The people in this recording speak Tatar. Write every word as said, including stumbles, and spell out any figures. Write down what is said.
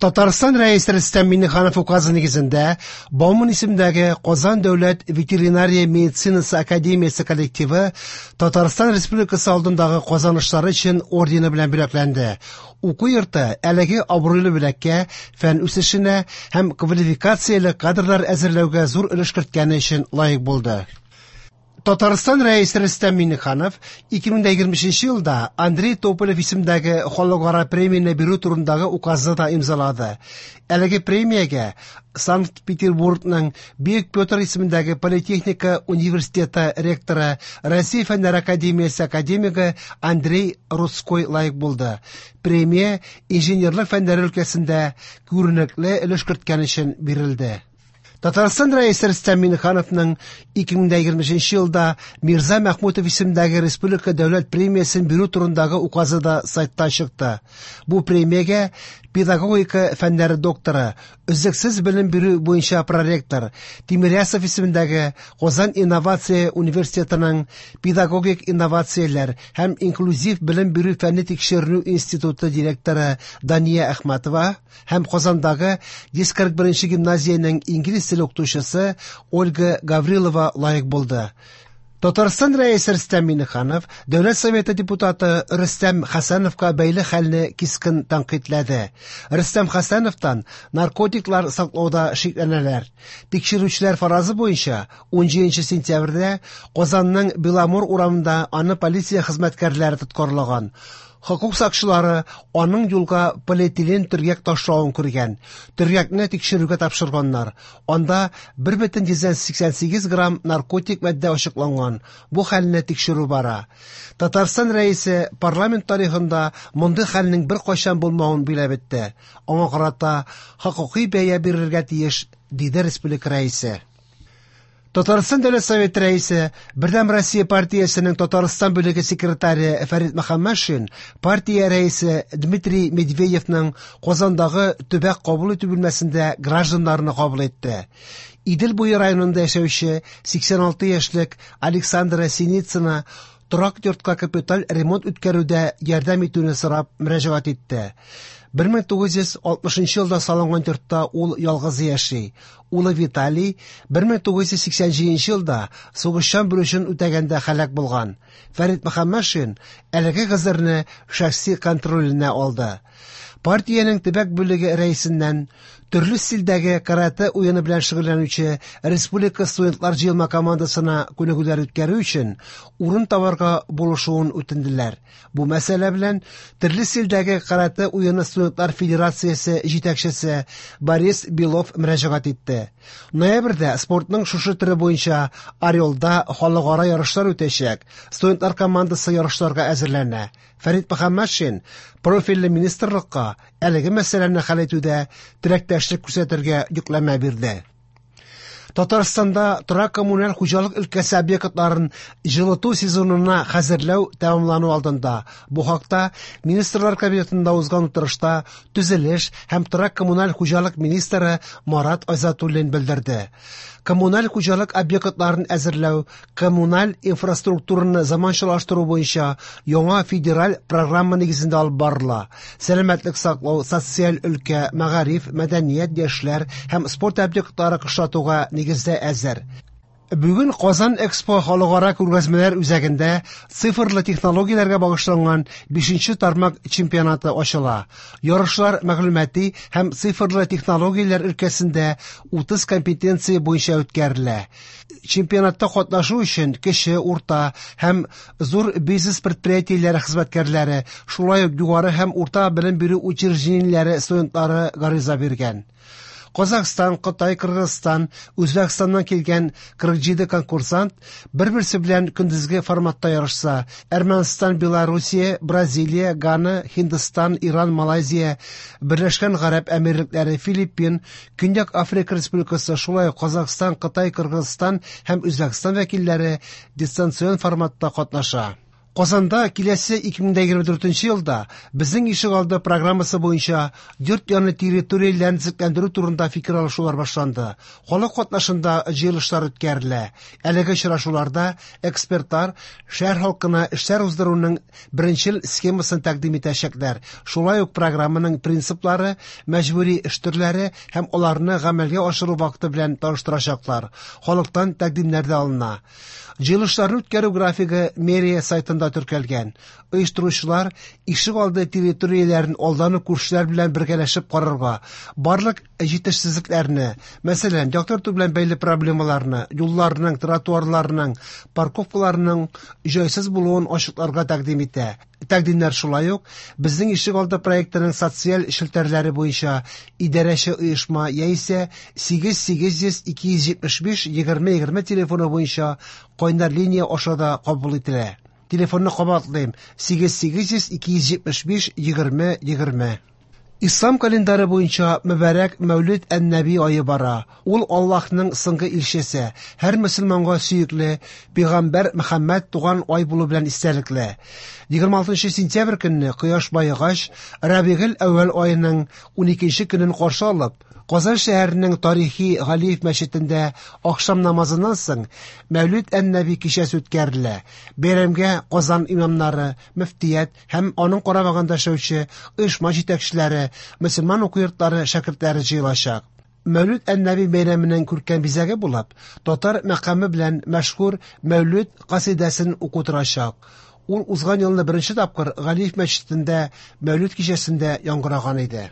Татарстан Рәисе Рөстәм Миңнеханов указы нигезендә Бауман исемендәге Казан дәүләт ветеринария медицинасы академиясе коллективы Татарстан Республикасы алдындагы казанышлары өчен ордены белән бүләкләнде. Уку йорты әлеге абруйлы бүләккә фән үсешенә һәм квалификацияле кадрлар әзерләүгә зур өлеш керткәне өчен лаек булды. Татарстан Рәисе Рөстәм Миңнеханов ике мең егерме өченче елда Андрей Тополев исемендәге халыкара премияне бирү турындагы указны да имзалады. Әлеге премиягә Санкт-Петербургның Бөек Петр исемендәге Политехника университеты ректоры, Россия Фәннәр академиясе академигы Андрей Рудской лаек булды. Премия инженерлык фәннәре өлкәсендә күренекле өлеш керткән өчен бирелде. Татарстан Рәисе Рөстәм Миңнехановның ике мең егерме өченче елда Мирза Мәхмүтов исемендәге Республика дәүләт премиясен бирү турындагы указы да сайтта чыкты. Бу премиягә педагогика фәннәре докторы, өзлексез белем бирү буенча проректор Тимирясов исемендәге Казан инновация университетының педагогик инновацияләр һәм инклюзив белем бирү фәнни тикшеренү институты директоры Дания Әхмәтова һәм Казандагы йөз кырык беренче гимназиянең инглиз теле укытучысы Ольга Гаврилова лаек булды. Татарстан Рәисе Рөстәм Миңнеханов Дәүләт Советы депутаты Рөстәм Хәсәновка бәйле хәлне кискен тәнкыйтьләде. Рөстәм Хәсәновтан наркотиклар саклауда шикләнәләр. Тикшерүчеләр фаразы буенча ун җиденче сентябрьдә Казанның Беломор урамында аны полиция хезмәткәрләре тоткарлаган. Хокук сакчылары аның юлга полиэтилен төргәк ташлавын күргән. Төргәкне тикшерүгә тапшырганнар. Анда бер бөтен йөздән сиксән сигез грамм наркотик матдә ачыкланган. Бу хәлне тикшерү бара. Татарстан Рәисе парламент тарихында мондый хәлнең бер кайчан булмавын биләп үтте. Аңа карата хокукый бәя бирергә тиеш, диде республика Рәисе. Татарстан Дәүләт Советы Рәисе, Бердәм Россия партиясенең Татарстан бүлеге секретаре Фәрит Мөхәммәтшин партия рәисе Дмитрий Медведевның Казандагы төбәк кабул итү бүлмәсендә гражданнарны кабул итте. Идел буе районында яшәүче сиксән алты яшьлек Александра Синицына торак йортка капиталь ремонт үткәрүдә ярдәм итүне сорап мөрәҗәгать итте. Бер мең тугыз йөз алтмышынчы елда салынган йортта ул ялгыз яши. Улы Виталий бер мең тугыз йөз сиксән җиденче елда сугышчан бурычын үтәгәндә һәлак булган. Фәрит Мөхәммәтшин әлеге гозерне шәхси контроленә алды. Партиянең төбәк бүлеге рәисеннән төрле стильдәге каратэ уены белән шөгыльләнүче республика студентлар җыелма командасына күнегүләр үткәрү өчен урын табарга булышуын үтенделәр. Бу мәсьәлә белән төрле стильдәге каратэ уены студентлар федерациясе җитәкчесе Борис Белов мөрәҗәгать итте. Ноябрьдә спортның шушы төре буенча Орелда халыкара ярышлар үтәчәк. Студентлар командасы ярышларга әзерләнә. Фәрит Мөхәммәтшин профильле министрлыкка әлеге мәсьәләне хәл итүдә теләктәшлек күрсәтергә йөкләмә бирде. Татарстанда торак коммуналь хуҗалык өлкәсе объектларын җылыту сезонына хәзерләү тәмамлану алдында. Бу хакта Министрлар Кабинетында узган утырышта төзелеш һәм торак коммуналь хуҗалык министры Марат Айзатуллин белдерде. Коммуналь хуҗалык объектларын әзерләү, коммуналь инфраструктураны заманчалаштыру буенча яңа федераль программа нигезендә алып барыла. Сәламәтлек саклау, социаль өлкә, мәгариф, мәдәният, яшьләр һәм спорт объектлары кышлатуга нигездә әзер. Бүген Казан Экспо халыкара күргәзмәләр үзәгендә цифрлы технологияләргә багышланган бишенче тармак чемпионаты ачыла. Ярышлар мәгълүмати һәм цифрлы технологияләр өлкәсендә утыз компетенция буенча үткәрелә. Чемпионатта катнашу өчен кече, урта һәм зур бизнес предприятиеләре хезмәткәрләре, шулай ук югары һәм урта белем бирү учреждениеләре студентлары гариза биргән. Казахстан, Кытай, Кыргызстан, Үзбәкстаннан килгән кырык җиде конкурсант бер-берсе белән көндезге форматта ярышса, Әрмәнстан, Белоруссия, Бразилия, Гана, Һиндстан, Иран, Малайзия, Берләшкән Гарәп Әмирлекләре, Филиппин, Көньяк Африка Республикасы, шулай ук Казахстан, Кытай, Кыргызстан һәм Үзбәкстан вәкилләре дистанцион форматта катнаша. Казанда киләсе ике мең егерме дүртенче елда Безнең ишегалды программасы буенча йорт яны территорияләрен төзекләндерү турында фикер алышулар башланды. Халык катнашында җыелышлар үткәрелә. Әлеге очрашуларда экспертлар шәһәр халкына эшләр уздыруның беренчел схемасын тәкъдим итәчәкләр. Шулай ук программаның принциплары, мәҗбүри эш төрләре һәм аларны гамәлгә ашыру вакыты белән таныштырачаклар. Халыктан тәкъдимнәр дә алына. Җыелышларны үткәрү графигы мэрия сайтында теркәлгән. Оештыручылар ишегалды территорияләрен алдан ук күршеләр белән бергәләшеп карарга, барлык җитешсезлекләрне, мәсәлән, яктырту белән бәйле проблемаларны, юлларның, тротуарларның, парковкаларның җайсыз булуын ачыкларга тәкъдим итә. Тәкъдимнәр шулай ук Безнең ишегалды проектының социаль челтәрләре буенча идарәче оешма яисә сигез сигез йөз ике йөз җитмеш биш егерме егерме телефоны буенча кайнар линия аша да кабул ителә. Телефонны кабатлыйм: сигез сигез йөз ике йөз җитмеш биш егерме егерме. Ислам календары буенча мөбарәк Мәүлид ән-Нәби ае бара. Ул Аллаһның соңгы илчесе, һәр мөселманга сөекле пәйгамбәр Мөхәммәд туган ай булу белән истәлекле. Егерме алтынчы сентябрь көнне кояш баегач, Рабигел әүвәл аеның уникенче көнен каршы алып, Казан шәһәренең тарихи Галиев мәчетендә ахшам намазыннан соң Мәүлид ән-Нәби кичәсе үткәрелә. Бәйрәмгә Казан имамнары, мөфтият һәм аның карамагында эшләүче оешма җитәкчеләре, мөселман уку йортлары шәкертләре җыелачак. Мәүлид ән-Нәби бәйрәменең күркәм бизәге булып, татар мәкаме белән мәшһүр Мәүлид касидәсен уку торачак. Ул узган елны беренче тапкыр Галиев мәчетендә Мәүлид кичәсендә яңгыраган иде.